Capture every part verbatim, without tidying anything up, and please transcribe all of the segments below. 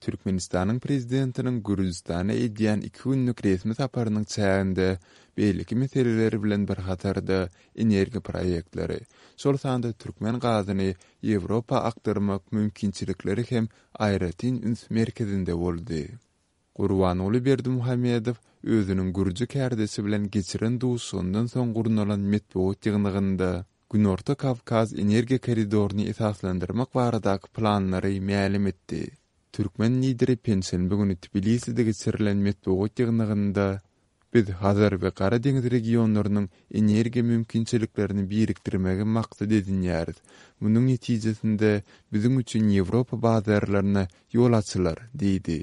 Türkmenistanyň Prezidentiniň Gürjüstana edýän iki günlük resmi saparynyň çäginde beýleki meseleler bilen bir hatarda energiýa proýektleri, şol sanda türkmen gazyny Ýewropa akdyrmak mümkinçilikleri hem aýratyn üns merkezinde boldy. Gurbanguly Berdimuhamedow özüniň gürji kärdeşi bilen geçiren duşuşygyndan soň gurnalan metbugat ýygnagynda Günorta Kawkaz energiýa koridoryny esaslandyrmak baradaky planlary mälim etdi. Türkmen lideri penşenbe güni Tbiliside geçirilen metbugat ýygnagynda Biz Hazar we Gara deňiz regionlarynyň energiýa mümkinçiliklerini birikdirmegi maksat edinýäris. Munuň netijesinde biziň üçin Ýewropa bazarlaryna ýol açylar diýdi.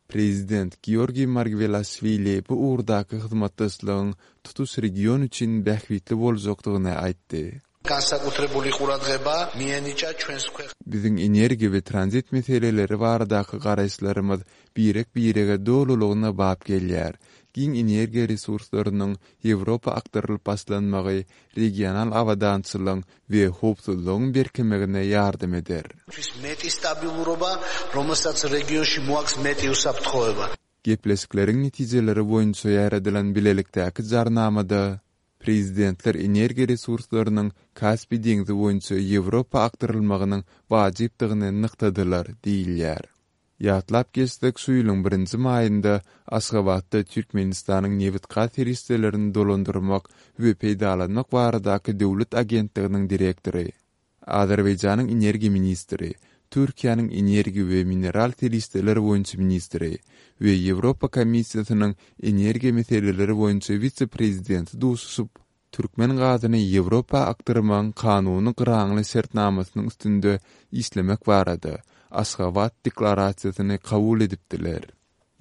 Prezident Georgiý Margwelaşwili bu ugurdaky hyzmatdaşlygyň tutuş region üçin bähbitli boljakdygyny aýtdy. განსაკუთრებული ყურადღება მიენიჭა ჩვენს Biziň energiýa we tranzit meseleleri baradaky garaýyşlarymyz birek-birege dolulygyna bap gelýär. Giň energiýa resurslarynyň Ýewropa akdyrylyp başlanmagy regional abadançylygyň we howpsuzlygyň berkemegine ýardam eder. მეტი სტაბილურობა, რომელსაც რეგიონში მოაქვს მეტი უსაფრთხოება. Gepleşikleriň netijeleri boýunça ýaradylan bilelikdäki jarnamada prezidentler energiýa resurslarynyň Kaspi deňzi boýunça Ýewropa akdyrylmagynyň wajypdygyny nygtadylar diýilýär. Ýatlap geçsek, şu ýylyň birinji maýynda Aşgabatda Türkmenistanyň nebit-gaz serişdelerini dolandyrmak we peýdalanmak baradaky döwlet agentliginiň direktory, Azerbaýjanyň energiýa ministri, Türkiýäniň energiýa we mineral serişdeler boýunça ministri we Ýewropa Komissiýasynyň energiýa meseleleri boýunça wise-prezidenti duşuşyp, türkmen gazyny Ýewropa akdyrmagyň kanuny gyraňly şertnamasynyň üstünde işlemek barada Aşgabat deklarasiýasyny kabul edipdiler.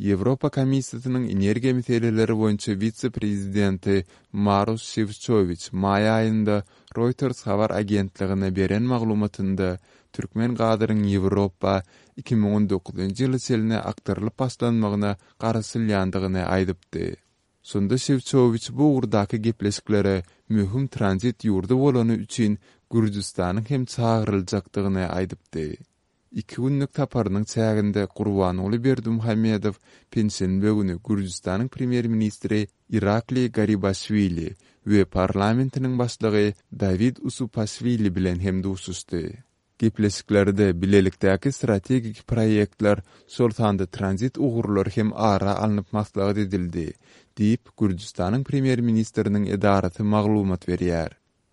Ýewropa Komissiýasynyň energiýa meseleleri boýunça wise-prezidenti Maroş Şewçowiç maý aýynda Reuters habar agentligine beren maglumatynda türkmen gazynyň Ýewropa iki müň on dokuzynjy ýyla çenli akdyrylyp başlanmagyna garaşylýandygyny aýdypdy. Şonda Şewçowiç bu ugurdaky gepleşiklere möhüm tranzit ýurdy bolany üçin Gürjüstanyň hem çagyryljakdygyny aýdypdy. Iki günlük saparynyň çäginde Gurbanguly Berdimuhamedow penşenbe güni Gürjüstanyň premýer-ministri Irakli Garibaşwili we parlamentiniň başlygy Dawid Usupaşwili bilen hem duşuşdy. Gepleşiklerde bilelikdäki strategik proýektler, şol sanda tranzit ugurlary hem ara alnyp maslahat edildi, diýip Gürjüstanyň premýer-ministriniň edarasy maglumat berýär.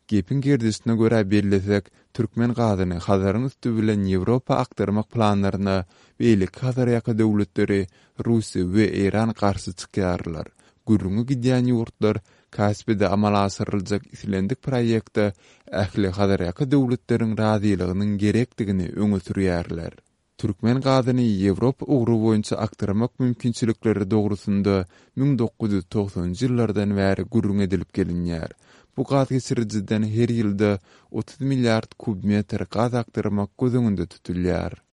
Gepiň gerdişine görä bellesek, türkmen gazyny Hazaryň üsti bilen Ýewropa akdyrmak planlaryna beýleki Hazarýaka döwletleri Russiýa we Eýran garşy çykýarlar. Gürrüňi gidýän ýurtlar Kaspide amala aşyryljak islendik proýekte ähli Hazarýaka döwletleriň razylygynyň gerekdigini öňe sürýärler. Türkmen gazyny Ýewropa ugry boýunça akdyrmak mümkinçilikleri dogrusynda müň dokuz ýüz togsanjy ýyllardan bäri gürrüň edilip gelinýär. Bu gaz geçirijiden her ýylda otuz milliard kub metr gaz akdyrmak göz öňünde tutulýar.